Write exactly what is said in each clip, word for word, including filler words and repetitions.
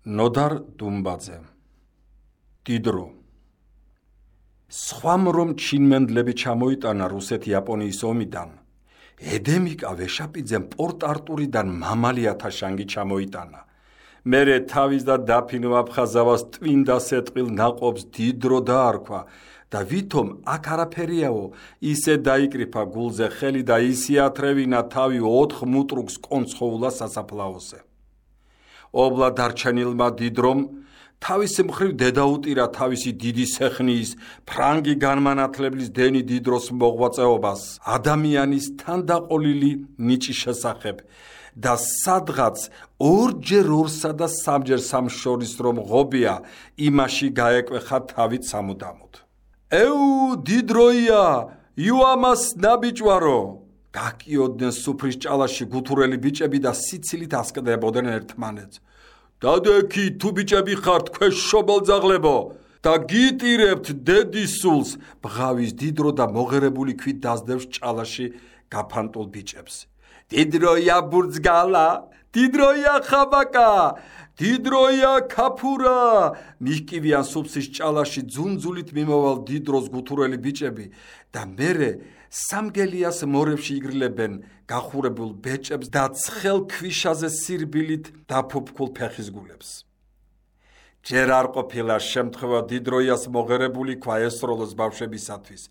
ნოდარ დუმბაძე დიდრო სხვამ რომ ჩინმენდლები ჩამოიტანა რუსეთ-იაპონიის ომიდან ედემიკა ვეშაპიძემ პორტ-არტურიდან მამალიათა შანგი ჩამოიტანა მერე თავის და დაფინო აფხაზავას ტვინდა სეტყილ ნაყოფს დიდრო დაარქვა და ვითომ აქ არაფერიაო ისე დაიკრიფა გულზე ხელი და ისე ათრევინა თავი ოთხ მუტრუგს კონცხოულა სასაფლაოზე ობლა დარჩენილმა დიდრომ თავისი მხრივ დედაუტირა თავისი დიდი სეხნის ფრანგი განმანათლებლის დენი დიდროს მოღვაწეობას ადამიანის თანდაყოლილი ნიჭის შესახებ და სადღაც ორჯერ ორსა და სამჯერ სამს შორის რომ ღობია იმაში გაეკვეხა თავით სამუდამოდ ეუ დიდროია იუამას ნაბიჭვარო გაკიოდნენ სუფრის ჭალაში გუთურელი ბიჭები და სიცილით ასკდებოდნენ ერთმანეთს დადექი თუ ბიჭები ხართ ქვეშ შობელძაღლებო და გიტირებთ დედის სულს ბღავის დიდრო და მოღერებული ქვით დასდევს ჭალაში გაფანტულ ბიჭებს დიდროია ბურძგალა დიდროია ხაბაკა დიდროია ქაფურა მიხკივიან სუფსის ჭალაში ძუნძულით მიმოვალ დიდროს გუთურელი ბიჭები და მერე სამგელიას მორებში იგრილებენ გახურებულ ბეჭებს და ცხელ ქვიშაზე სირბილით დაფუფქულ ფეხის გულებს ჯერ არ ყოფილა შემთხვევა დიდროიას მოღერებული ქვა ესროლოს ბავშვებისათვის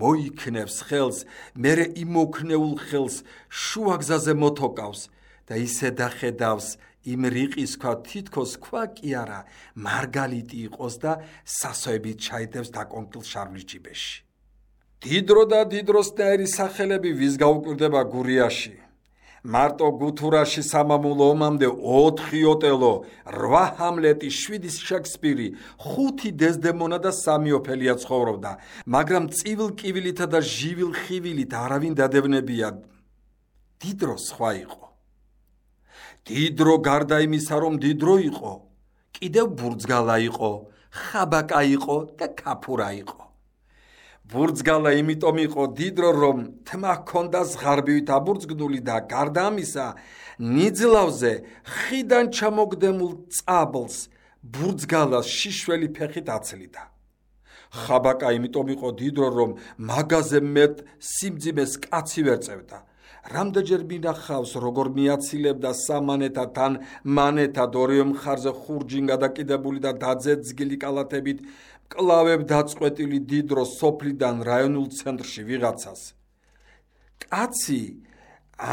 მოიქნევს ხელს მერე იმოქნეულ ხელს შუაგზაზე მოთოკავს და ისე დახედავს იმ რიყის ქვა თითქოს ქვა კი არა მარგალიტი იყოს და სასოებით ჩაიდებს დაკონკილ შარვლის ჯიბეში დიდრო და დიდროსნაირი სახელები ვის გაუკვირდება გურიაში მარტო გუთურაში სამამულო ომამდე ოთხი ოტელო რვა ჰამლეტი შვიდი შექსპირი ხუთი დეზდემონა და სამი ოფელია ცხოვრობდა მაგრამ წივილ კივილითა და ჟივილ ხივილით არავინ დადევნებია დიდრო სხვა იყო დიდრო გარდა იმისა რომ დიდრო იყო კიდევ ბურძგალა იყო ხაბაკა იყო და ქაფურა იყო ბურძგალა იმიტომ იყო დიდრო რომ თმა ჰქონდა ზღარბივით აბურძგდული და გარდა ამისა ნიძლავზე ხიდან ჩამოგდემულ წაბლს ბურძგალას შიშველი ფეხით აცლიდა ხაბაკა იმიტომ იყო დიდრო რომ მაგაზე მეტ სიმძიმეს კაცი ვერ წევდა რამდენჯერ მინახავს როგორ მიაცილებდა სამანეთა თან მანეთად ორივე მხარზე ხურჯინ გადაკიდებული და დაძეძგილი კალათებით კლავებ დაწყვეტილი დიდრო სოფლიდან რაიონულ ცენტრში ვიღაცას კაცი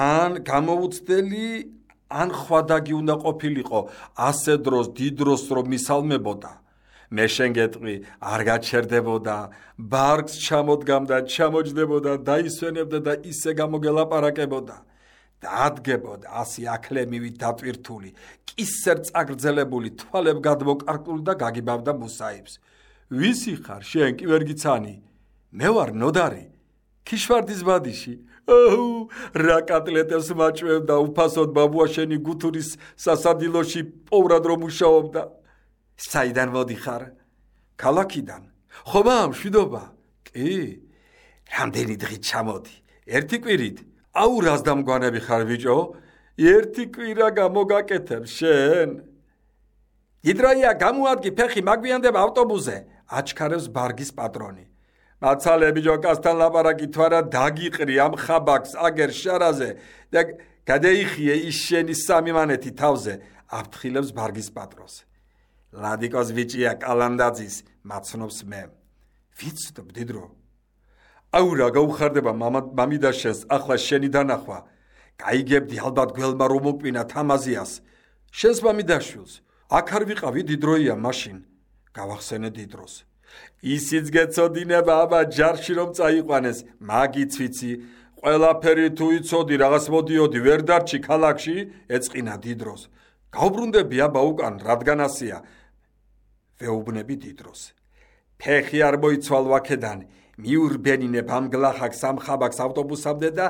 ან გამოუცდელი ან ხვადაგი უნდა ყოფილიყო ასე დროს დიდროს რომ მისალმებოდა მე შენ გეტყვი არ გაჩერდებოდა ბარგს ჩამოდგამდა ჩამოჯდებოდა დაისვენებდა და ისე გამოგელაპარაკებოდა დადგებოდა ასი აკლემივით დატვირთული კისერ წაგრძელებული თვალებ გადმოკარკული და გაგიბავდა მუსაიბს ვისი ხარ შენ კი ვერ გიცანი მე ვარ ნოდარი ქიშვარდის ბადიში აუ რა კატლეტებს მაჭვევდა უფასოდ ბაბუაშენი გუთურის სასადილოში პოვრად რომ მუშაობდა საიდან მოდიხარ ქალაქიდან ხომა მშვიდობა კი რამდენი დღით ჩამოდი ერთი კვირით აუ რას დამგვანები ხარ ბიჭო ერთი კვირა გამოგაკეთებ შენ დიდროია გამოადგი ფეხი მაგვიანდება ავტობუსზე აჩქარებს ბარგის პატრონი მაცალე ბიჭო კასთან ლაპარაკი თვარა დაგიყრი ამ ხაბაკს აგერ შარაზე და გადაიხიე ის შენი სამი მანეთი თავზე აფრთხილებს ბარგის პატრონს ლადიკოს ვიჭია კალანდაძის მაცნობს მე ვიცნობ დიდრო აუ რა გაუხარდება მამიდა შენს ახლა შენი დანახვა გაიგებდი ალბათ გველმა რომ მოკპინა თამაზიას შენს მამიდაშვილს აქ არ ვიყავი დიდროია მაშინ გავახსენე დიდროს ისიც გეცოდინება აბა ჯარში რომ წაიყვანეს მაგიც ვიცი ყველაფერი თუ იცოდი რაღაც მოდიოდი ვერ დარჩი ქალაქში ეწყინა დიდროს გავბრუნდები აბა უკან რადგან ასია ვეუბნები დიდროს ფეხი არ მოიცვალ ვაქედან მიურბენინებ ამ გლახაკს ამ ხაბაკს ავტობუსამდე და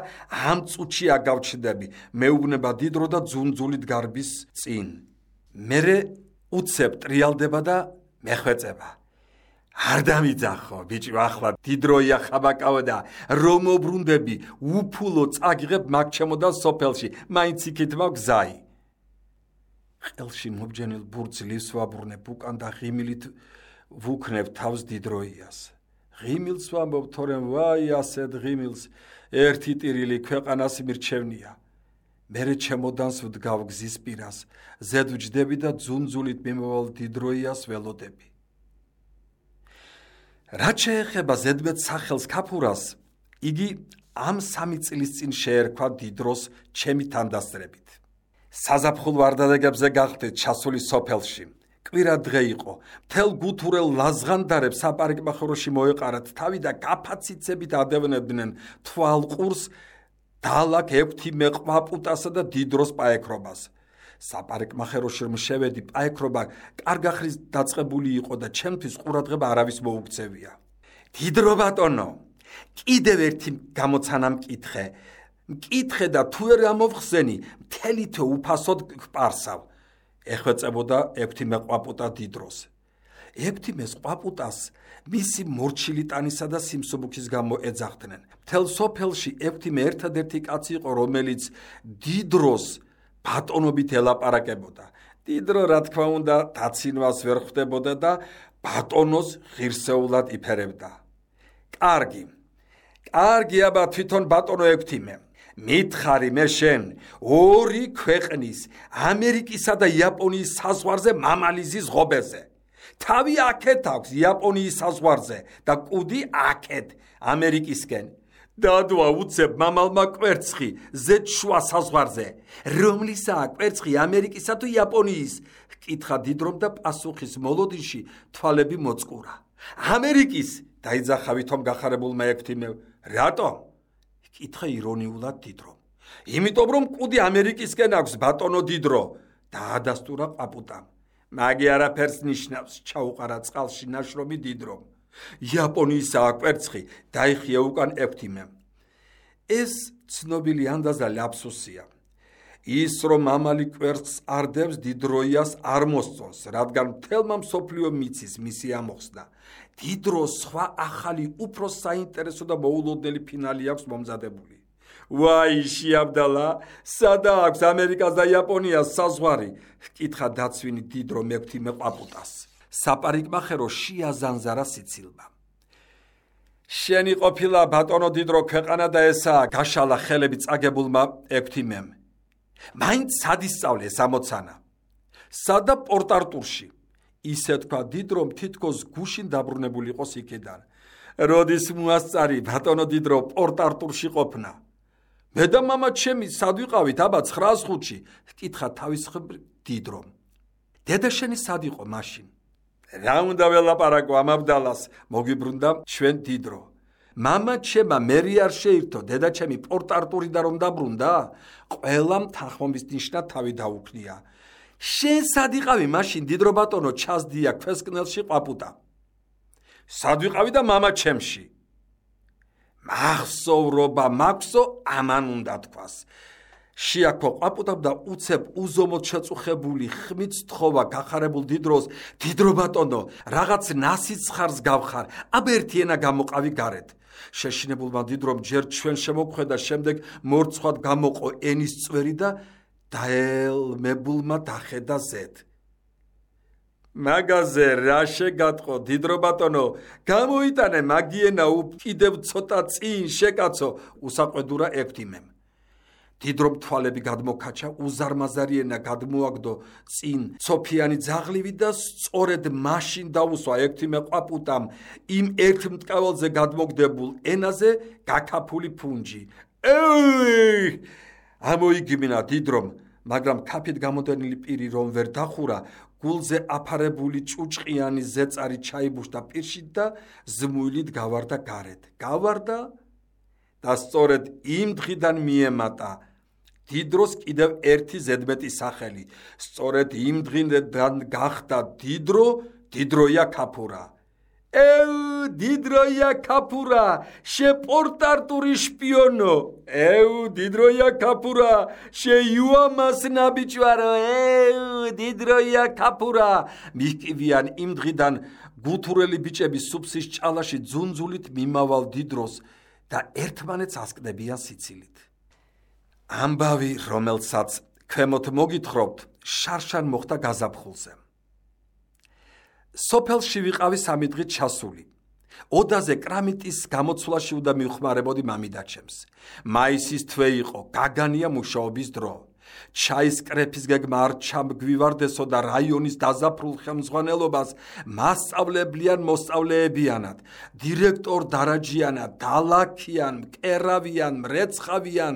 ამ წუთში აგავჩდები მეუბნება დიდრო და ძუნძულით გარბის წინ მერე უცებ ტრიალდება და მეხვეწება არ დამიძახო ბიჭო ახლა დიდროია ხაბაკაო და რომ მობრუნდები უფულო წაგიღებ მაგ ჩემო და სოფელში მაინც იქით მაგ გზაი ყელში მობჯენილ ბურძლივს ვაბრუნებ უკან და ღიმილით ვუქნებ თავს დიდროიას. ღიმილს ვამბობ, თორემ ვაი ასეთ ღიმილს ერთი ტირილი ქვეყანას მირჩევნია. მერე ჩემოდანს ვდგავ გზის პირას, ზედ ვჯდები და ძუნძულით მიმავალ დიდროიას ველოდები. რაც შეეხება ზედმეტ სახელს ქაფურას, იგი ამ სამი წლის წინ შეერქვა დიდროს ჩემი თანდასწრებით. საზაფხულ ვარდადეგებზე გახდეთ ჩასული სოფელში. კვირა დღე იყო. მთელ გუთურელ ლაზღანდარებს საპარიკმახოროში მოეყარათ თავი და გაფაციცებით ადევნებდნენ თვალყურს, დალაკ ექვთი მეყვაპუტასა და დიდროს პაექრობას. საპარიკმახეროში რომ შევედი, პაექრობა კარგახრის დაწყებული იყო და ჩემთვის ყურადღება არავის მოუქცევია. დიდრო ბატონო, კიდევ ერთი გამოცანა მკითხე. მკითხე და თუ ვერ ამოვხსენი, მთელი თვე უფასოდ გპარსავ. ეხვეწებოდა ექვთი მეყვაპუტა დიდროს. ექვთი მეყვაპუტას მისი მორჩილი ტანისა და სიმსუბუქის გამო ეძახდნენ. მთელ სოფელში ექვთი მე ერთადერთი კაცი იყო, რომელიც დიდროს ბატონობით ელაპარაკებოდა. დიდრო რა თქმა უნდა დაცინვას ვერ ხვდებოდა და ბატონოს ღირსეულად იფერებდა. კარგი, კარგი აბა თვითონ ბატონო ექვთიმე, მითხარი მე შენ ორი ქვეყნის, ამერიკისა და იაპონიის საზღვარზე მამალიზის ღობეზე. თავი აქეთ აქვს იაპონიის საზღვარზე და კუდი აქეთ ამერიკისკენ. დადვა უცებ მამალმა კვერცხი ზედ შუა საზღვარზე. რომლისაა კვერცხი, ამერიკისა თუ იაპონიის? კითხა დიდრომ და პასუხის მოლოდინში თვალები მოწყურა. ამერიკის, დაიძახა ვითომ გახარებულმა ექვთიმევ. რატომ? კითხა ირონიულად დიდრომ. იმიტომ რომ კუდი ამერიკისკენ აქვს ბატონო დიდრო, დაადასტურა ყვაპუტამ. მაგი არაფერს ნიშნავს, ჩაუყარა წყალში ნაშრომი დიდრომ. იაპონიისაა კვერცხი, დაიხია უკან ექვთიმემ. ეს ცნობილი ანდაზა ლაფსუსია. ის რომ მამალი კვერცხს არდებს, დიდროიას არ მოსწონს, რადგან მთელმა მსოფლიო მიცის მისი ამოხსნა. დიდროს სხვა ახალი უფრო საინტერესო და მოულოდნელი ფინალი აქვს მომზადებული. ვაი შეაბდალა, სადა აქვს ამერიკას და იაპონიას საზღვარი? კითხა დაცვინი დიდრო მექვთი მეყვაპუტას. საპარიკმახერო შეაზანზარა სიცილმა. შენი ყოფილა ბატონო დიდრო ქვეყანა და ესაა, გაშალა ხელები წაგებულმა ექვთიმემ. მაინც სად ისწავლე ეს ამოცანა? სადა პორტ-არტურში. ისე თქვა დიდრომ თითქოს გუშინ დაბრუნებული იყოს იქიდან. როდის მოასწარი ბატონო დიდრო პორტ-არტურში ყოფნა? მე და მამა ჩემი სად ვიყავით აბა ცხრას ხუთში? კითხა თავისხმ დიდრომ. დედა შენი სად იყო მაშინ? რა უნდა ველაპარაკო ამაბდალას, მოგვიბრუნდა ჩვენ დიდრო. მამა ჩემა მერი არ შეირთო, დედა ჩემი პორტ-არტურიდან რომ დაბრუნდა, ყველამ თანხმობის ნიშნად თავი დაუქნია. შენ სად იყავი მაშინ დიდრო ბატონო? ჩასდია ქვესკნელში ყვაპუტა. სად ვიყავი და მამა ჩემში? მახსოვრობა მაქვსო, ამან უნდა თქვას. შეაქო ყვაპუტამ და უცებ უზომოდ შეწუხებული ხმით სთხოვა გახარებულ დიდროს. დიდრო ბატონო, რაღაც ნასიცხარს გავხარ, აბა ერთი ენა გამოყავი გარეთ. შეშინებულმა დიდრომ ჯერ ჩვენ შემოგვხედა, შემდეგ მორცხვად გამოყო ენის წვერი და დაელმებულმა დახედა ზედ. მაგაზე რა შეგატყო დიდრო ბატონო, გამოიტანე მაგიენა კიდევ ცოტა წინ შეკაცო, უსაყვედურა ექვთიმემ. დიდრომ თვალები გადმოქაჩა, უზარმაზარიენა გადმოაგდო წინ ცოფიანი ძაღლივი და სწორედ მაშინ დაუსვა ექვთიმე ყვაპუტამ იმ ერთ მტკაველზე გადმოგდებულ ენაზე გაქაფული ფუნჯი. ეი! ამოიგმინა დიდრომ, მაგრამ ქაფით გამოდენილი პირი რომ ვერ დახურა, გულზე აფარებული ჭუჭყიანი ზეწარი ჩაიბუშდა პირში და ზმუილით გავარდა გარეთ. გავარდა და სწორედ იმ დღიდან მიემატა დიდროს კიდევ ერთი ზედმეტი სახელი. სწორედ იმ დღიდან გახდა დიდრო, დიდროია ქაფურა. ეუ, დიდროია ქაფურა, შე პორტ-არტური შპიონო. ეუ, დიდროია ქაფურა, შე იუამას ნაბიჯვარო. ეუ, დიდროია ქაფურა. მიკივიან იმ დღიდან გუთურელი ბიჭები სუფსის ჭალაში ძუნძულით მიმავალ დიდროს და ერთმანეთს ასკდებიან სიცილით. ამბავი, რომელსაც ქვემოთ მოგითხრობთ, შარშან მოხდა გაზაფხულზე. სოფელში ვიყავი სამი დღით ჩასული. ოდაზე კრამიტის გამოცვლაში უნდა მივხმარებოდი მამიდაჩემს. მაისის თვე იყო, გაგანია მუშაობის დრო. ჩაის კრეფის გეგმა არ ჩამგვივარდესო და რაიონის დაზაფრულ ხელმძღვანელობას მასწავლებლიან მოსწავლეებიანად, დირექტორ დარაჯიანად, დალაქიან, მკერავიან, მრეცხავიან,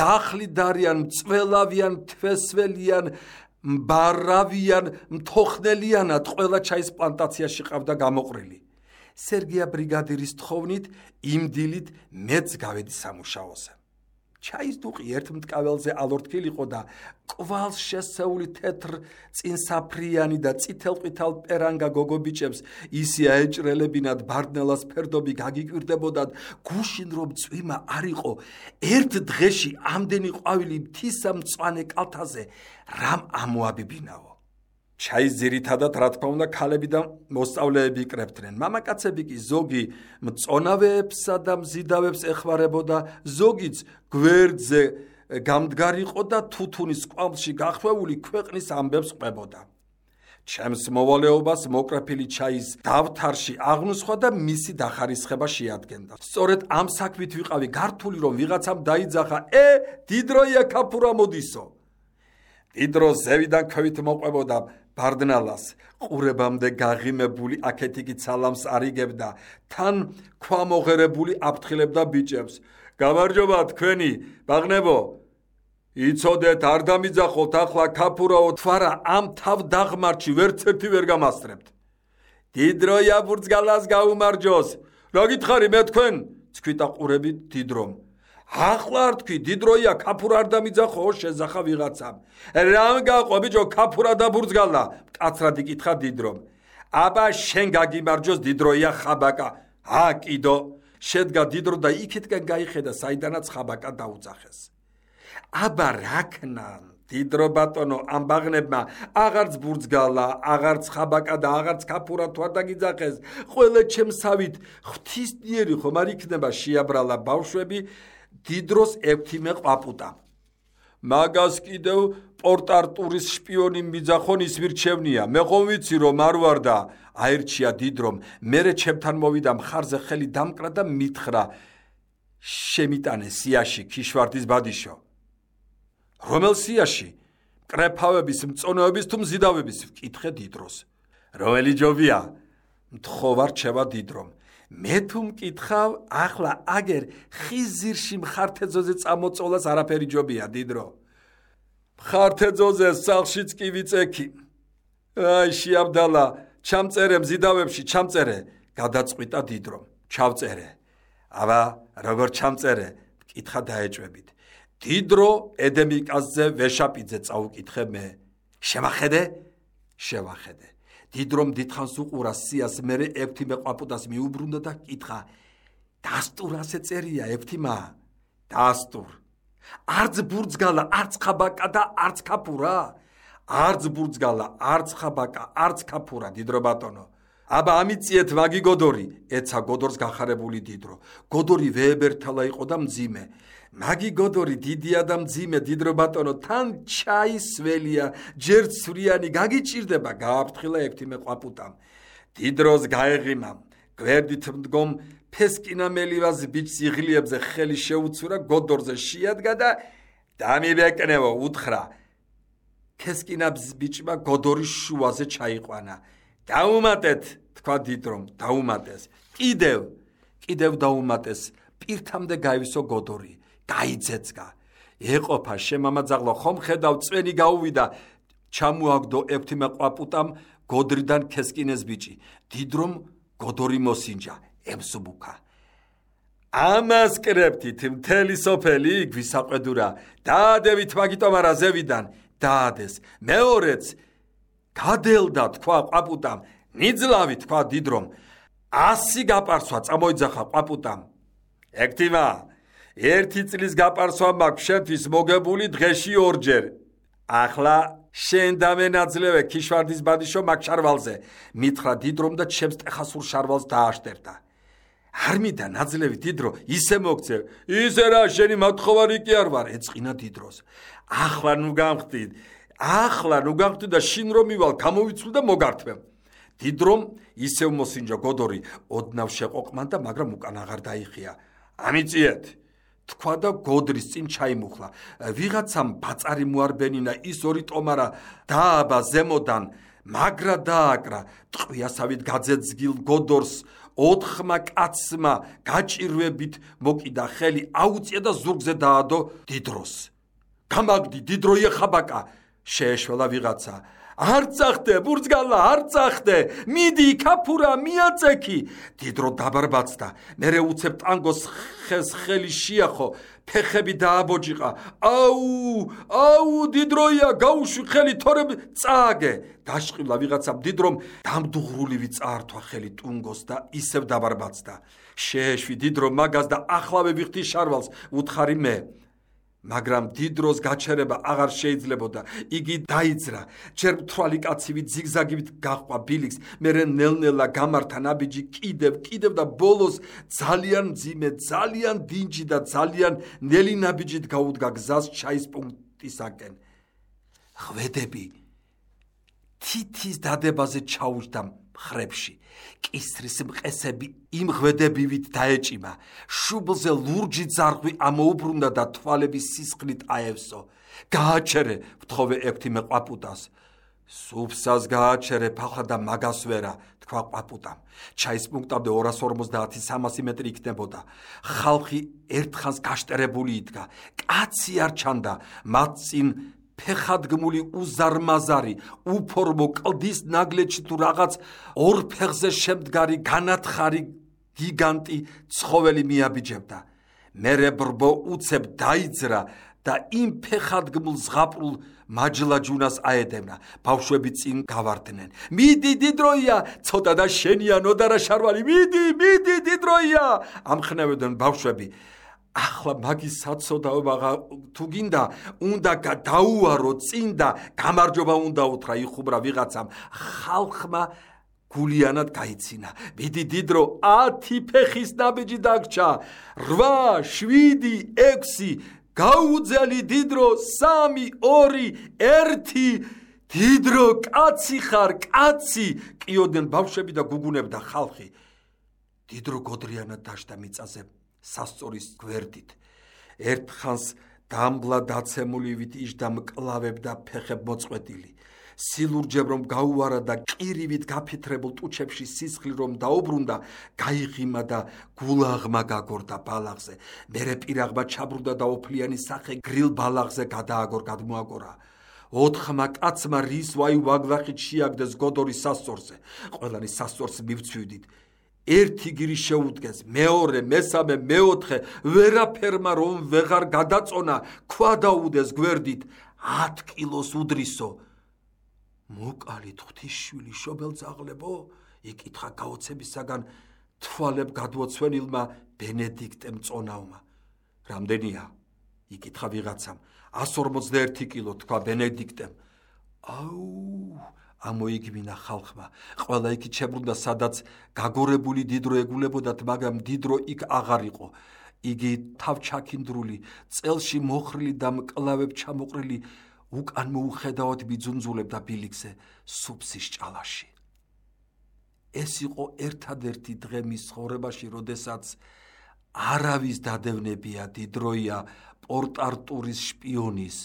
დახლიდარიან, მწველავიან, თვესველიან, მბარავიან, მთოხნელიანად ყველა ჩაის პლანტაციაში ყავდა გამოყრილი. სერგია ბრიგადირის თხოვნით, იმ დილით მეც გავედი სამუშაოზე. ჩაის დუყი ერთ მტკაველზე ალორთქილიყო და კვალს შესეული თეთრ წინსაფრიანი და წითელ-ყვითელ პერანგა გოგობიჭებს ისე აეჭრელებინათ ბარდნელას ფერდობი გაგიკვირდებოდათ, გუშინ რომ წვიმა არ იყო, ერთ დღეში ამდენი ყვავილი მთისა მწვანე კალთაზე რამ ამოაბიბინაო. ჩაის ძირითადად რა თქმა უნდა ქალები და მოსწავლეები იკრებდნენ. მამაკაცები კი ზოგი მწონავეებსა და მზიდავებს ეხმარებოდა, ზოგიც გვერდზე გამდგარიყო და თუთუნის კვამლში გახვეული ქვეყნის ამბებს ყვებოდა. ჩემს მოვალეობას მოკრეფილი ჩაის დავთარში აღნუსხვა და მისი დახარისხება შეადგენდა. სწორედ ამ საქმით ვიყავი გართული, რომ ვიღაცამ დაიძახა, ე დიდროია ქაფურა მოდისო. დიდრო ზევიდან ქვევით მოყვებოდა ბარდნალას, ყურებამდე გაღიმებული აქეთიკი ცალამს არიგებდა, თან ქვამოღერებული აფრთხილებდა ბიჭებს. გამარჯობა თქვენი, ბაღნებო, იცოდეთ, არ დამიძახოთ ახლა ქაფურაო თვარა ამ თავ დაღმართში ვერც ერთი ვერ გამასწრებთ. დიდროია ბურძგალას გაუმარჯოს, რა გითხარი მე თქვენ? ცქვიტა ყურებით დიდრომ. ახლა არ თქვი, დიდროია ქაფურა არ დამიძახო, შეზახა ვიღაცამ. რამ გაყო ბიჭო, ქაფურა და ბურძგალა? მკაცრად იკითხა დიდრომ. აბა შენ გაგიმარჯოს, დიდროია ხაბაკა. ა კიდო. შედგა დიდრო და იქითკენ გაიხედა, საიდანაც ხაბაკა დაუძახეს. აბა რაკნან, დიდრო ბატონო, ამ ბაღნებმა აღარც ბურძგალა, აღარც ხაბაკა და აღარც ქაფურა თუ არ დაგიძახეს, ყველა ჩემსავით ღვთისმიერი ხომ არ იქნება, შეაბრალა ბავშვები დიდროს ექვთიმე ყვაპუტა. მაგას კიდევ პორტარტურის შპიონი მიძახონის მირჩევნია, მე ხომ ვიცი რომ არ ვარ და აირჩია დიდრომ. მერე ჩემთან მოვიდა მხარზე ხელი დამკრა და მითხრა, შემიტანე სიაში ქიშვარდის ბადიშო. რომელ სიაში? მკრეფავების, მწონეების თუ მზიდავების? ვკითხე დიდროს. რომელი ჯობია? მთხოვარ რჩება დიდრომ. მე თუ მკითხავ, ახლა აგერ ხიზირში მხართეძოზე წამოწოლას არაფერი ჯობია, დიდრო. მხართეძოზე სახლშიც კი ვიწექი. აი შეაბდალა, ჩამწერე მზიდავებში, ჩამწერე, გადაწყვიტა დიდრომ. ჩავწერე. აბა, როგორ ჩამწერე? მკითხა დაეჭვებით. დიდრო ედემიკაზზე ვეშაპიძე წაუკითხე მე. შევახედე? შევახედე. დიდრომ დიდხანს უყურა სიას, მერე ექვთიმე ყვაპუტას მიუბრუნდა და კითხა, დასტურ ასე წერია ექვთიმა? დასტურ. არც ბურძგალა, არც ხაბაკა და არც ქაფურა? არც ბურძგალა, არც ხაბაკა, არც ქაფურა, დიდრო ბატონო. აბა ამიწიეთ მაგი გოდორი, ეცა გოდორს გახარებული დიდრო. გოდორი ვეებერთალა იყო და მძიმე. მაგი გოდორი დიდია და მძიმე, დიდრო ბატონო, თან ჩაისველია, ჯერ ცვრიანი გაგიჭირდება, გააფრთხილა ექვთიმე ყვაპუტამ. დიდროს გაეღიმა, გვერდით მდგომ ფესკინამელივას ბიჭს იღლიებზე ხელი შეუცურა, გოდორზე შეადგა და დამიბეკნევო, უთხრა. ფესკინაბს ბიჭმა გოდორის შუაზე ჩაიყვანა. დაუმატეთ, თქვა დიდრომ, დაუმატეს. კიდევ, კიდევ დაუმატეს, პირთამდე გაივისო გოდორი. გაიძეცგა. ეყოფა შემამაძაღლა, ხომ ხედავ წვენი გაუვიდა, ჩამოაგდო ექვთიმე ყვაპუტამ გოდრიდან ქესკინეს ბიჭი. დიდრომ გოდორი მოსინჯა, ემსუბუქა. ამას კრეფთით მთელი სოფელი გვისაყვედურა. დაადევით მაგიტომ არა ზევიდან. დაადეს. მეორეც გადელდა, თქვა ყვაპუტამ. ნიძლავი, თქვა დიდრომ. ასი გაპარსვა წამოიძახა ყვაპუტამ. ექვთიმა, ერთი წლის გაპარსვა მაქვს შენთვის მოგებული დღეში ორჯერ. ახლა შენ დამენაძლევე ქიშვარდის ბადიშო მაგ შარვალზე. მითხრა დიდრომ და ჩემს ტეხასურ შარვალს დააშტერდა. არ მინდა ნაძლევი დიდრო, ისე მოგცევ. ისე რა, შენი მათხოვარი კი არ ვარ, ეწყინა დიდროს. ახლა ნუ გამხდით. ახლა ნუ გახდი და შინ რომ მივალ გამოვიცვლ და მოგართმევ. დიდრომ ისევ მოსინჯა გოდორი ოდნავ შეყოყმან და მაგრამ უკან აღარ დაიხია. ამიწიეთ თქვა და გოდრის წინ ჩაიმუხლა. ვიღაცამ ბაწარი მოარბენინა ის ორი ტომარა დააბა ზემოდან მაგრა დააკრა ტყვიასავით გაძეძგილ გოდორს ოთხმა კაცმა გაჭირვებით მოკიდა ხელი აუწია და ზურგზე დაადო დიდროს. გამაგდი დიდროია ხაბაკა შეეშველა ვიღაცა. არ წახდე ბურძგალა არ წახდე მიდი ქაფურა მიაწექი. დიდრო დაბარბაცდა მერე უცებ ტანგოს ხეს ხელი შეახო ფეხები დააბოჯიყა. აუ აუ დიდროია გაუშვი ხელი თორემ წააგე. დაშყილა ვიღაცამ დიდრომ დამდუღრულივი წაართვა ხელი ტუნგოს და ისევ დაბარბაცდა. შეეშვი დიდრო მაგას და ახლავე ვიხდი შარვალს უთხარი მე. მაგრამ დიდროს გაჩერება აღარ შეიძლებოდა. იგი დაიძრა. ჯერ მთვალი კაცივით ზიგზაგივით გაჰყვა ბილიქს, მერე ნელ-ნელა გამართა ნაბიჯი კიდევ კიდევ და ბოლოს ძალიან მძიმე, ძალიან დინჯი და ძალიან ნელი ნაბიჯით გაუდგა გზას ჩაის პუნქტისაკენ. ხვედები თითის დადებაზე ჩაუჯდა მხრებში. კისრის მყესები იმ ღვედებივით დაეჭიმა. შუბლზე ლურჯი ძარღვი ამოუბრუნდა და თვალების სისხლით აევსო. გააჩერე ვთხოვე ექვთიმე ყვაპუტას. სუფსას გააჩერე ფახა და მაგას ვერა თქვა ყვაპუტამ. ჩაის პუნქტამდე ორას ორმოცდაათი სამასი მეტრი იქნებოდა. ხალხი ერთხანს გაშტერებული იდგა. კაცი არ ჩანდა მათ წინ ფეხადგმული უზარმაზარი უფორმო კლდის ნაგლეჩი თუ რაღაც ორ ფეხზე შემდგარი განათხარი გიგანტი ცხოველი მიაბიჯებდა. მერე ბრბო უცებ დაიძრა და იმ ფეხადგმულ ზღაპრულ მაჯლაჯუნას აედევნა. ბავშვები წინ გავარდნენ. მიდი დიდროია ცოტა და შენია ნოდარა შარვალი მიდი მიდი დიდროია ამხნევდნენ ბავშვები. ახლა მაგის საცოდაობა თუ გინდა უნდა დაუარო წინ და გამარჯობა უნდა უთხრა იხუბრა ვიღაცამ. ხალხმა გულიანად გაიცინა. მიდი დიდრო ათი ფეხის ნაბიჯი დაგჭა. რვა შვიდი ექვსი გაუძელი დიდრო სამი ორი ერთი დიდრო კაცი ხარ კაცი ყიოდნენ ბავშვები და გუგუნებდა ხალხი. დიდრო გოდრიანად დაშდა მიწაზე სასწორის გვერდით. ერთხანს დამბლა დაცემულივით იჯდა მკლავებ და ფეხებ მოწყვეტილი. სილურჯებ რომ გაუარა და ყირივით გაფითრებულ ტუჩებში სისხლი რომ დაუბრუნდა, გაიღიმა და გულაღმა გაგორდა ბალაღზე. მერე პირაღმა ჩაბრუნდა და ოფლიანი სახე გრილ ბალაღზე გადააგორ გადმოაგორა. ოთხმა კაცმა რის ვაი ვაგლახით შეაგდეს გოდორის სასწორზე. ყველანი სასწორს მივცვივდით. ერთი გირი შეუდგეს, მეორე, მესამე, მეოთხე, ვერაფერმა რომ ვეღარ გადაწონა, ქვა დაუდეს გვერდით, ათ კილოს უდრისო. მოკალით ღვთისშვილი შობელძაღლებო, იკითხა გაოცებისაგან თვალებ გადმოცვენილმა ბენედიქტემ წონავმა. რამდენია? იკითხა ვიღაცამ. ას ორმოცდაერთი კილო, თქვა ბენედიქტემ. აუ ამოიგმინა ხალხმა. ყველა იქით შებრუნდა, სადაც გაგორებული დიდრო ეგულებოდათ, მაგრამ დიდრო იქ აღარ იყო. იგი თავჩაქინდრული, წელში მოხრილი და მკლავებ ჩამოყრილი, უკან მოუხედავად მიძუნძულებდა ბილიქზე სუფსის ჭალაში. ეს იყო ერთადერთი დღე მის ცხოვრებაში, როდესაც არავის დადევნებია დიდროია პორტ-არტურის შპიონის,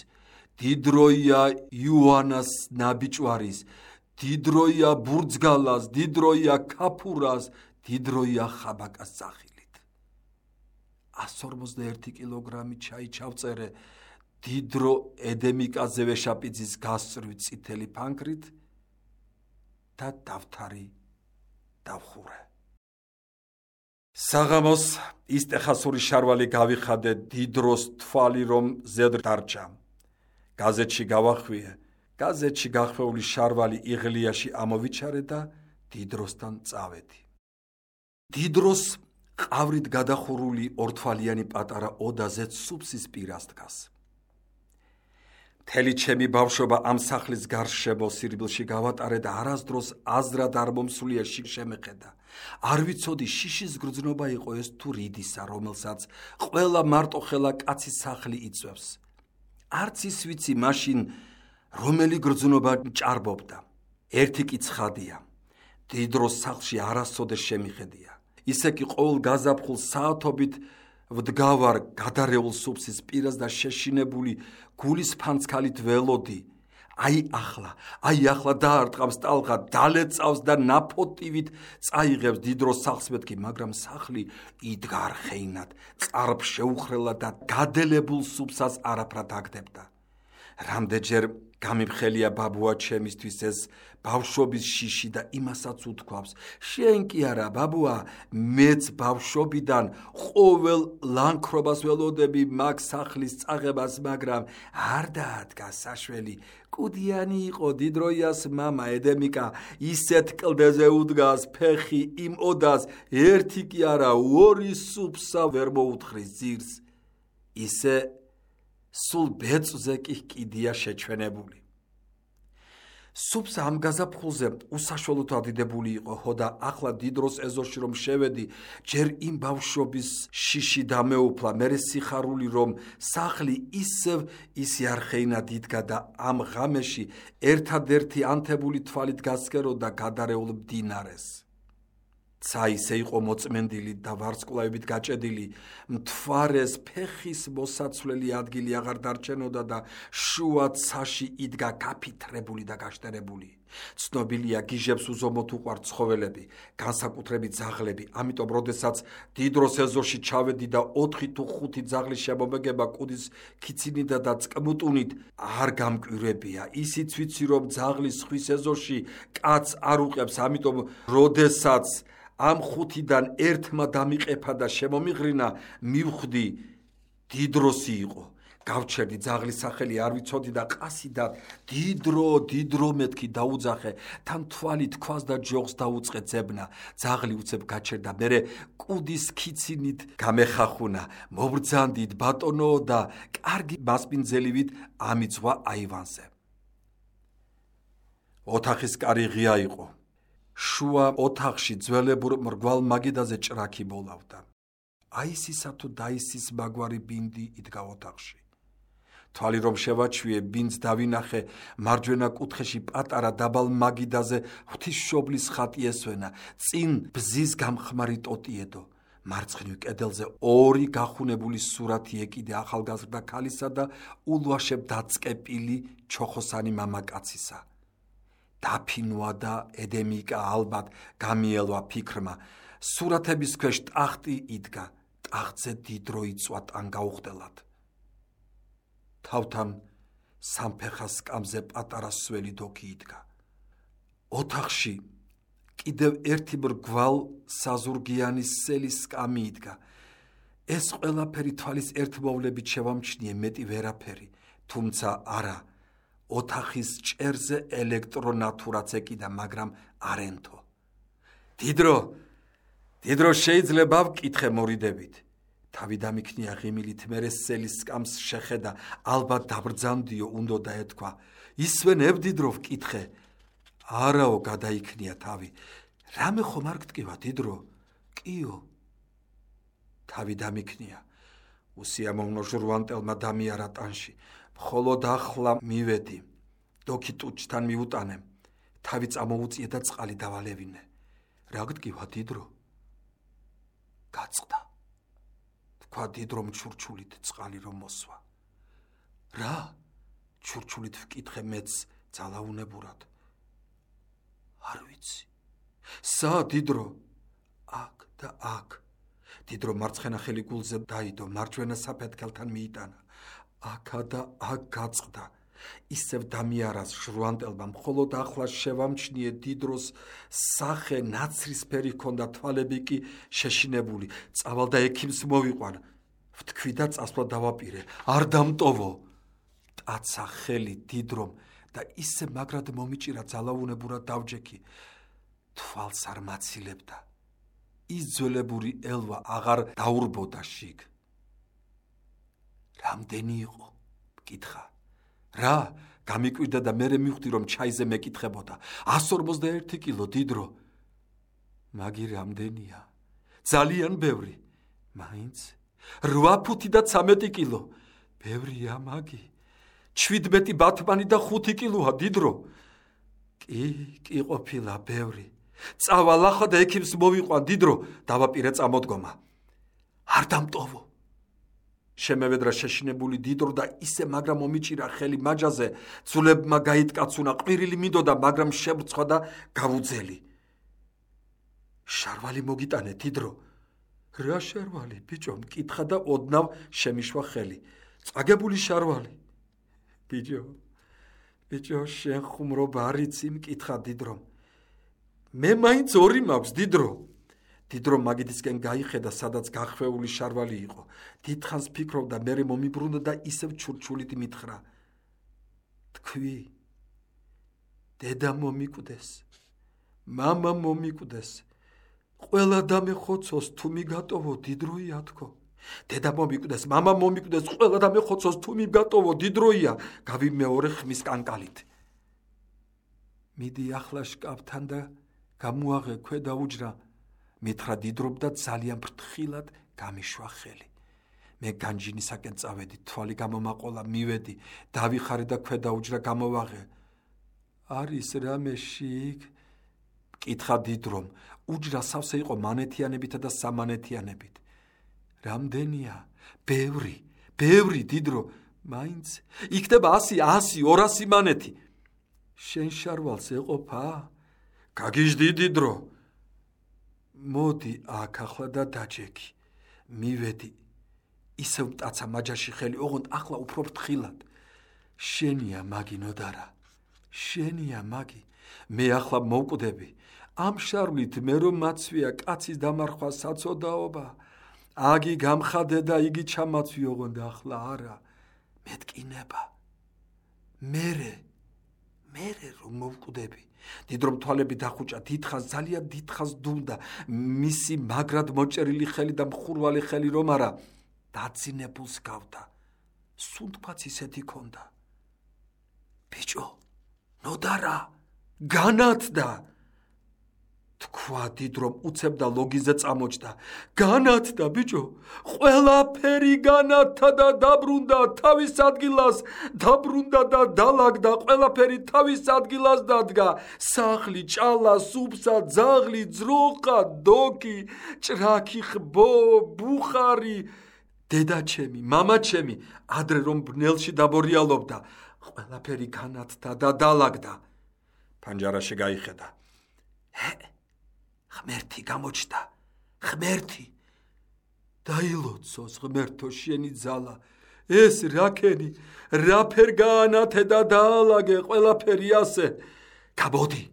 დიდროია იოანას ნაბიჭვარის, დიდროია ბურძგალას, დიდროია ქაფურას, დიდროია ხაბაკას სახილით. ას ორმოცდაერთი კილოგრამი ჩაი ჩავწერე დიდრო ედემიკაზე ვეშაპიძის გასწრვი წითელი ფანქრით და დავთარი დავხურე. საღამოს ისტეხასური შარვალი გავიხადე დიდროს თვალი რომ ზედ დარჩა. გაზეთში გავახვიე. გაზეთში გახვეული შარვალი იღლიაში ამოვიჩარე და დიდროსთან წავედი. დიდროს ყავრით გადახურული ორთვალიანი პატარა ოდაზე სუფსის პირას დგას. მთელი ჩემი ბავშვობა ამ სახლის გარშემო სირბილში გავატარე და არასდროს აზრად არ მომსულია შემეხედა. არ ვიცოდი შიშის გრძნობა იყო ეს თუ რიდისა, რომელსაც ყველა მარტოხელა კაცის სახლი იწვევს. არც ის ვიცი მაშინ რომელი გრძნობა ჭარბობდა. ერთი კი ცხადია, დიდროს სახლში არასოდეს შემიხედია. ისე კი ყოველ გაზაფხულ საათობით ვდგავარ გადარეულ სუფსის პირას და შეშინებული გულის ფანცქალით ველოდი. აი ახლა, აი ახლა დაარტყავს ტალღა, დალეწავს და ნაფოტივით წაიღებს დიდროს სახლს მეთქი, მაგრამ სახლი იდგა არხეინად, წარბ შეუხრელად და გადელებულ სუფსას არაფრად აგდებდა. რამდენჯერ გამიფხელია ბაბუა ჩემისთვის ეს ბავშვობის შიში და იმასაც უთქვავს, შენ კი არა ბაბუა, მეც ბავშვობიდან ყოველ ლანქრობას ველოდები მაგ სახლის წაღებას, მაგრამ არ დაადგა საშველი. კუდიანი იყო დიდროიას მამა ედემიკა, ისეთ კლდეზე უდგას ფეხი იმ ოდას, ერთი კი არა, ორი სუფსა ვერ მოუთხრის ძირს. ისე სულ ბეწვზე კი კიდია შეჩვენებული. სუფსა ამ გაზაფხულზე უსაშველოდ ადიდებული იყო, ხო და ახლა დიდროს ეზოში რომ შევედი, ჯერ იმ ბავშვობის შიში დამეუფლა, მერე სიხარული რომ სახლი ისევ ისი არხეინად იდგა და ამ ღამეში ერთადერთი ანთებული თვალით გასკეროდა გადარეულ მდინარეს. ცა ისე იყო მოწმენდილი და ვარსკვლავებით გაჭედილი, მთვარეს ფეხის მოსაცვლელი ადგილი აღარ დარჩენოდა და შუა ცაში იდგა გაფითრებული და გაშტერებული. ცნობილია გიჟებს უზომოდ უყვართ ცხოველები, განსაკუთრებით ძაღლები, ამიტომ როდესაც დიდროს ეზოში ჩავედი და ოთხი თუ ხუთი ძაღლის შემომეგება კუდის ქიცინიდა და წკმუტუნით არ გამკვირვებია. ისიც ვიცი რომ ძაღლის ხვის ეზოში კაცს არ უყებს, ამიტომ როდესაც ამ ხუთიდან ერთმა დამიყეფა და შემომიღრინა, მივხვდი დიდროსი იყო. გავჩერდი ძაღლის სახელი არ ვიცოდი და ყასიდად დიდრო, დიდრო მეთქი დაუძახე, თან თვალი თქვას და ჯოხს დაუწყე ძებნა. ძაღლი უცებ გაჩერდა, მერე კუდის ქიცინით გამეხახუნა, მობრძანდით ბატონო და კარგი მასპინძელივით ამიცვა აივანზე. ოთახის კარი ღია იყო. შუა ოთახში ძველებურ მრგვალ მაგიდაზე ჭრაქი ბოლავდა. აისისა თუ დაისის მაგვარი ბინდი იდგა ოთახში. თვალი რომ შევაჩვიე, ბინდს დავინახე, მარჯვენა კუთხეში პატარა დაბალ მაგიდაზე ღვთისმშობლის ხატი ესვენა, წინ ბზის გამხმარი ტოტიედო. მარცხნივ კედელზე ორი გახუნებული სურათი ეკიდე ახალგაზრდა ქალისა და ულვაშებ დაწყეპილი ჩოხოსანი მამაკაცისა. დაფინვა და ედემიკა ალბათ გამიელვა ფიქრმა. სურათების ქვეშ ტახტი იდგა, ტახტზე დიდრო იწვა ტანგაუხდელად. თავთან სამფეხა სკამზე პატარა სველი დოქი იდგა. ოთახში კიდევ ერთი მრგვალ საზურგიანი სელის სკამი იდგა. ეს ყველაფერი თვალის ერთმოვლებით შევამჩნიე, მეტი ვერაფერი, თუმცა არა. ოთახის ჭერზე ელექტრონათურაც ეკიდა, მაგრამ არენთო. დიდრო, დიდრო შეიძლება ვკითხე მორიდებით. თავი დამიქნია ღიმილით, მერე სელის სკამს შეხედა, ალბათ დაბრძანდიო, უნდა დაეთქვა. ისვენებ დიდრო ვკითხე. არაო, გადაიქნია თავი. რამე ხომ არ გტკივა დიდრო? კიო. თავი დამიქნია. უსიამოვნო ჟურვანტელმა დამიარა ტანში. მხოლოდ ახლა მივედი, დოქი ტუჩთან მიუტანე, თავი წამოუწიე და წყალი დავალევინე. რა გტკივა დიდრო? გაწყდა. თქვა დიდრომ ჩურჩულით წყალი რომ მოსვა. რა? ჩურჩულით ვკითხე მეც ძალაუნებურად. არ ვიცი. სა დიდრო? აქ და აქ. დიდრო მარცხენა ხელი გულზე დაიდო, მარჯვენა საფეთქელთან მიიტანა. აქა და აქ გაწყდა. ისევ დამიარას ჟრუანტელმა, მხოლოდ ახლა შევამჩნიე დიდროს სახე ნაცრისფერი ჰქონდა, თვალები კი შეშინებული. წავალ და ექიმს მოვიყვან. ვთქვი და წასვლა დავაპირე. არ დამტოვო. ტაცა ხელი დიდრომ და ისე მაგრად მომიჭირა, ძალაუნებურად დავჯექი. თვალს არ მაცილებდა. ის ძველებური ელვა აღარ დაურბოდა შიგ. რამდენი იყო? მკითხა. რა? გამიკვირდა და მერე მივხვდი რომ ჩაიზე მეკითხებოდა. ასი ორმოცდაერთი კილო დიდრო. მაგი რამდენია? ძალიან ბევრი. მაინც რვა ფუთი და ცამეტი კილო. ბევრია მაგი. ჩვიდმეტი ბათმანი და ხუთი კილოა დიდრო. კი, კი ყოფილა ბევრი. წავალახა და ექიმს მოვიყვან დიდრო, დავაპირე წამოდგომა. არ დამტოვო. შემევედრა შეშინებული დიდრო და ისე მაგრამ მომიჭირა ხელი მაჯაზე, ძულებმა გაიტკაცუნა, ყვირილი მინდოდა, მაგრამ შებრცხვა და გავუძელი. შარვალი მოგიტანე დიდრო. რა შარვალი, ბიჭო, მკითხა და ოდნავ შემიშვა ხელი. წაგებული შარვალი. ბიჭო, ბიჭო, შენ ხუმრობა არ იცი, მკითხა დიდრომ. მე მაინც ორი მაქვს დიდრო. დიდრო მაგიდისკენ გაიხედა, სადაც გახვეული შარვალი იყო. დიდხანს ფიქრობდა, მერე მომიბრუნდა და ისევ ჩურჩულით მითხრა. თქვი, დედა მომიკვდეს, მამა მომიკვდეს. ყველა დამეხოცოს თუ მიგატოვო დიდროია თქო. დედა მომიკვდეს, მამა მომიკვდეს, ყველა დამეხოცოს თუ მიგატოვო დიდროია. გავიმეორე ხმის კანკალით. მიდი ახლა შკაფთან და გამოაღე ქვედა უჯრა. მითხრა დიდრომ და ძალიან ფრთხილად გამიშვა ხელი. მე განჯინისაკენ წავედი, თვალი გამომაყოლა, მივედი, დავიხარე და ქვედა უჯრა გამოვაღე. არის რამე შიგ? მკითხა დიდრომ. უჯრა სავსე იყო მანეთიანებითა და სამანეთიანებით. რამდენია? ბევრი, ბევრი დიდრო. მაინც იქნება ასი, ასი, ორასი მანეთი. შენ შარვალს ეყოფა? გაგიჟდი დიდრო. მოდი აქ ახლა და დაჯექი. მივედი. ისევ მტაცა მაჯაში ხელი, ოღონდ ახლა უფრო ფრთხილად. შენია მაგი ნოდარა. შენია მაგი. მე ახლა მოვკვდები. ამ შარვლით მე რომ მაცვია კაცის დამარხვა საწოდაობა. აგი გამხადე და იგი ჩამაცვი, ოღონდ ახლა არა. მეტკინება. მერე, მერე რომ მოვკვდები. დიდრომ თვალები დახუჭა, დიდხანს, ძალიან დიდხანს დუმდა. მისი მაგრად მოჭერილი ხელი და მხურვალი ხელი რომ არა, დაძინებულს გავდა. სუნთქვაც ისეთი ქონდა. ბიჭო, ნოდარა, განათდა. თქვა დიდრომ უცებდა ლოგიზე წამოჭდა. განათდა ბიჭო, ყველაფერი განათდა და დაბრუნდა თავის ადგილას, დაბრუნდა და დალაგდა, ყველაფერი თავის ადგილას დადგა. სახლი, ჭალა, სუფსა, ძაღლი, ძროხა, დოქი, ჭრაქი, ხბო, ბუხარი, დედაჩემი, მამაჩემი, ადრე რომ ბნელში დაბორიალობდა, ყველაფერი განათდა და დალაგდა. ფანჯარაში გაიხედა. ღმერთი გამოჩნდა, ღმერთი. დაილოცოს ღმერთო შენი ძალა. ეს რაკენი, რაფერ გაანათე და დაალაგე ყველაფერი ასე. გამოდი,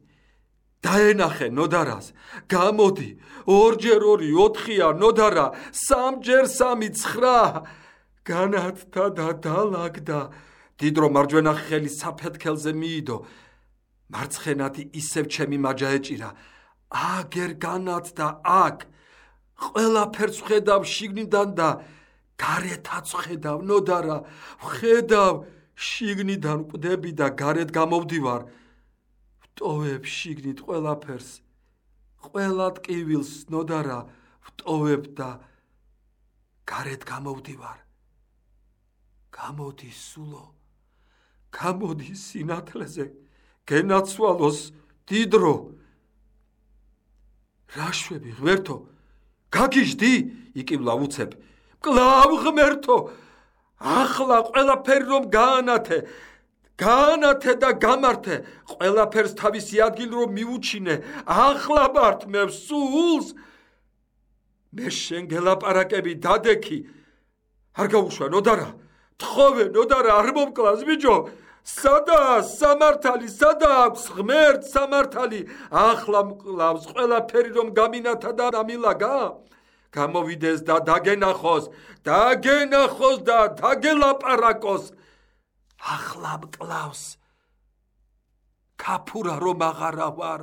დაენახე ნოდარას, გამოდი, ორჯერ ორი, ოთხია ნოდარა, სამჯერ სამი, ცხრა. განათდა და დალაგდა. დიდრო მარჯვენა ხელი საფეთქელზე მიიდო. მარცხენათი ისევ ჩემი მაჯა ეჭირა. აგერ განათდა აქ. ყველაფერს ხედავ შიგნიდან და გარეთაც ხედავ ნოდარა. ხედავ შიგნიდან მკვდები და გარეთ გამოვდივარ. ვტოვებ შიგნით ყველაფერს. ყველა ტკივილს ნოდარა ვტოვებ და გარეთ გამოვდივარ. გამოდი სულო, გამოდი სინათლეზე, გენაცვალოს დიდრო. რაშვები ღმერთო, გაგიჟდი? იკივლა უცებ. კლავ ღმერთო, ახლა ყველაფერი რომ გაანათე, გაანათე და გამართე, ყველაფერს თავისი ადგილი რომ მიუჩინე, ახლა მართ მე სულს. მე შენ გელაპარაკები, დადექი. არ გაუშვა ნოდარა, თხოვე ნოდარა, არ მომკლავს ბიჭო. სადაა სამართალი, სადაა აქვს ღმერთს სამართალი. ახლა მკლავს ყველაფერი რომ გამინათა და დამილაგა. გამოვიდეს და დაგენახოს, დაგენახოს და დაგელაპარაკოს. ახლა მკლავს. ქაფურა რომ აღარა ვარ,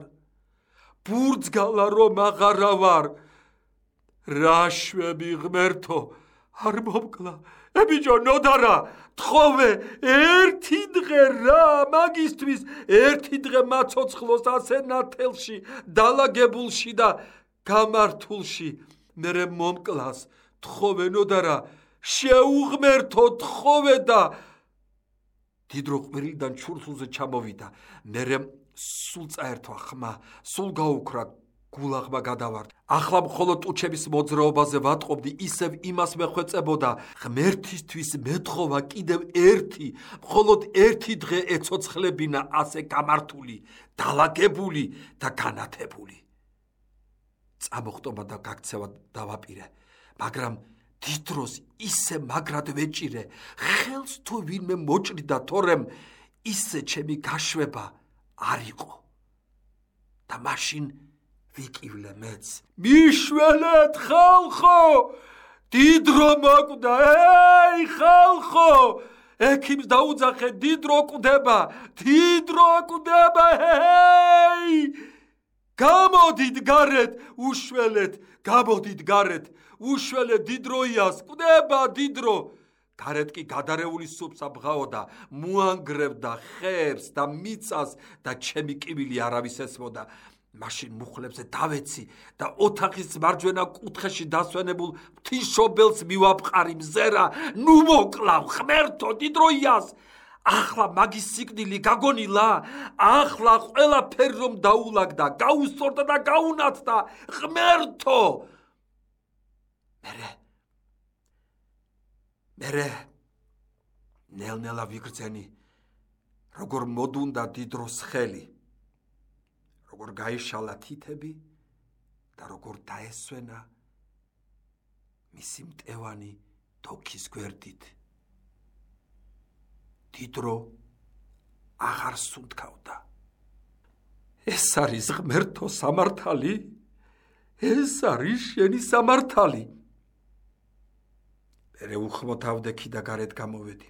ბურძგალა რომ აღარა ვარ. რაშვები ღმერთო, არ მომკლა. ე ბიჭო ნოდარა, თხოვე ერთი დღე რა მაგისტრის, ერთი დღე მაცოცხლოს ასე ნათელში, დალაგებულში და გამართულში. მერე მომკლას, თხოვე ნოდარა, შეუღმერთო, თხოვე და დიდრო ყვირილიდან ჩურთულზე ჩამოვიდა, მერე სულ წაერთვა ხმა, სულ გაუქრა, გულაღმა გადავარდა. ახლა მხოლოდ ტუჩების მოძრაობაზე ვატყობდი, ისევ იმას მეხვეწებოდა, ღმერთისთვის მეთხოვა კიდევ ერთი, მხოლოდ ერთი დღე ეცოცხლებინა ასე გამართული, დალაგებული და განათებული. წამოხტომა და გაქცევა დავაპირე, მაგრამ დიდ დროს ისე მაგრად ვეჭირე, ხელს თუ ვინმე მოჭრიდა, თორემ ისე ჩემი გაშვება არ იყო. და მაშინ ვიკივლე მეც. მიშველეთ ხალხო, დიდ დრო მოკვდა, ეი ხალხო, ექიმს დაუძახე, დიდ დრო კვდება, დიდ დრო კვდება, ეი! გამოდით გარეთ, უშველეთ, გამოდით გარეთ, უშველეთ დიდ დროიას, კვდება დიდ დრო. გარეთ კი გადარეული სუფსა ბღაოდა, მოანგრევდა ხერს და მიწას და ჩემი კივილი არავის ესმოდა. მაშინ მუხლებზე დავეცი და ოთახის მარჯვენა კუთხეში დასვენებულ ღვთისმშობელს მივაპყარი მზერა, ნუ მოკლავ ღმერთო დიდ დროიას. ახლა მაგის სიკვდილი გაგონილა, ახლა ყველაფერი რომ დაულაგდა, გაუსწორდა და გაუნათდა, ღმერთო. მერე მერე ნელ-ნელა ვიგრძენი, როგორ მოდუნდა დიდ დროს ხელი, როგორ გაიშალა თითები და როგორ დაესვენა მისი მტევანი თოქის გვერდით. დიდ დრო აღარ სუნთქავდა. ეს არის ღმერთო სამართალი, ეს არის შენი სამართალი. მერე უხმოთავდე და გარეთ გამოვედი.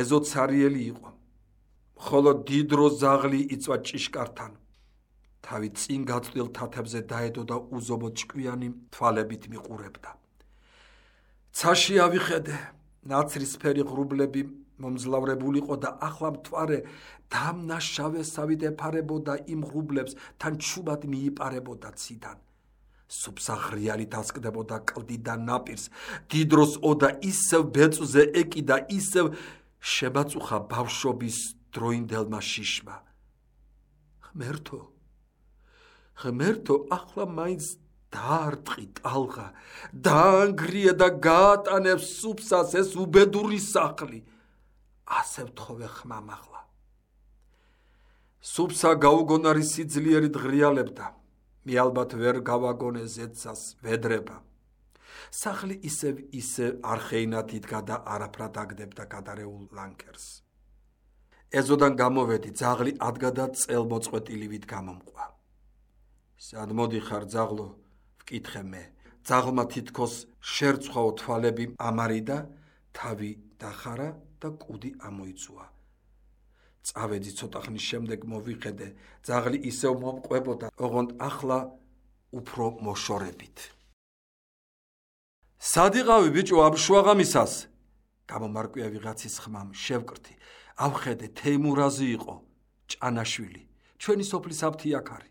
ეზო ცარიელი იყო, მხოლოდ დიდ დრო ზაღლი იწვა ჭიშკართან. თავი წინ გაწვდილ თათებზე დაედო და უზომო ჭკვიანი თვალებით მიყურებდა. ცაში ავიხედე, ნაცრისფერი ღრუბლები მომძლავრებულიყო და ახლა მთვარე დამნაშავესავით ეფარებოდა იმ ღრუბლებს, თან ჩუბად მიიპარებოდა ციდან. სუფსა ღრიალით ასკდებოდა კლდიდან ნაპირს, დიდ დროს ოდა ისევ ბეწვზე ეკიდა, ისევ შემაწუხა ბავშვობის დროინდელმა შიშმა. ღმერთო, ღმერთო, ახლა მაინც დაარტყი ტალღა, დაანგრიე და გაატანებს სუფსას ეს უბედური სახლი. ასე ვთხოვე ხმამ ახლა. სუფსა გაუგონარი სიძლიერით ღრიალებდა, მე ალბათ ვერ გავაგონე ზეცას ვედრება. სახლი ისევ ისე არხეინად იდგა და არაფრად აგდებდა გადარეულ ლანკერს. ეზოდან გამოვედი, ძაღლი ადგა და წელმოწყვეტილივით გამომყვა. სად მოდიხარ ძაღლო, ვკითხე მე. ძაღლმა თითქოს შერცხვაო თვალები ამარიდა, თავი დახარა და კუდი ამოიწუა. წავედი ცოტა ხნის შემდეგ მოვიხედე, ძაღლი ისევ მომყვებოდა, ოღონდ ახლა უფრო მოშორებით. სად იყავი ბიჭო აბშუაღამისას? გამომარკვია ვიღაცის ხმამ, შევკრთი. ავხედე, თეიმურაზი იყო, ჭანაშვილი, ჩვენი სოფლის აფთიაქარი.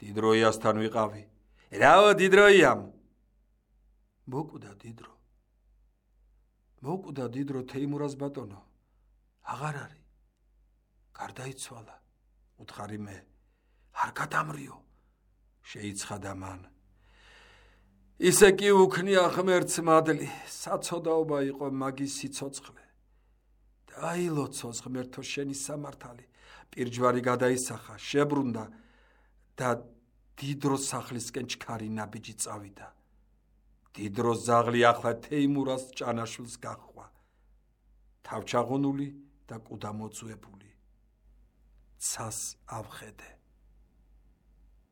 დიდ დროიასთან ვიყავი. რაო დიდ დროიამ? მოკვდა დიდ დრო. მოკვდა დიდ დრო თეიმურაზ ბატონო. აღარ არის. გარდაიცვალა. უთხარი მე. არ გადამრიო. შეიცხადა მან. ისე კი უქნია ღმერთს მადლი, საცოდაობა იყო მაგის სიცოცხლე. დაილოცოს ღმერთო შენი სამართალი. პირჯვარი გადაისახა, შებრუნდა და დიდ დრო სახლისკენ ჩქარი ნაბიჯი წავიდა. დიდ დრო ზაღლი ახლა თეიმურას ჭანაშვილს გაჰყვა. თავჩაღონული და კუდა მოწუებული. ცას ავხედე.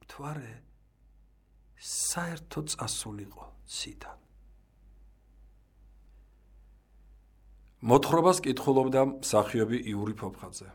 მთვარე საერთო წასულიყო ციდან. მოთხრობას კითხულობდა მსახიობი იური ფოფხაძე.